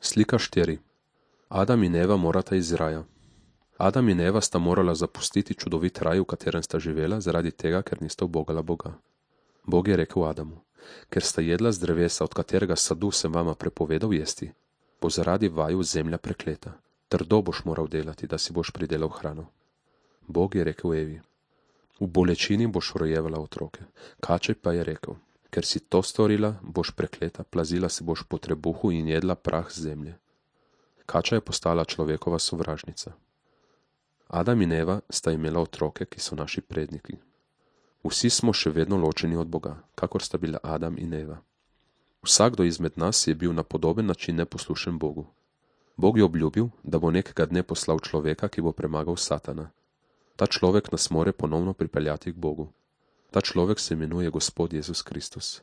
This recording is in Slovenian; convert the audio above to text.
Slika 4. Adam in Eva morata iz raja. Adam in Eva sta morala zapustiti čudovit raj, v katerem sta živela, zaradi tega, ker nista ubogala Boga. Bog je rekel Adamu: ker sta jedla z drevesa, od katerega sadu sem vama prepovedal jesti, bo zaradi vaju zemlja prekleta. Trdo boš moral delati, da si boš pridelal hrano. Bog je rekel Evi: v bolečini boš rojevala otroke. Kačej pa je rekel: ker si to storila, boš prekleta, plazila se boš po trebuhu in jedla prah z zemlje. Kača je postala človekova sovražnica. Adam in Eva sta imela otroke, ki so naši predniki. Vsi smo še vedno ločeni od Boga, kakor sta bila Adam in Eva. Vsakdo izmed nas je bil na podoben način neposlušen Bogu. Bog je obljubil, da bo nekega dne poslal človeka, ki bo premagal Satana. Ta človek nas more ponovno pripeljati k Bogu. Ta človek se imenuje Gospod Jezus Kristus.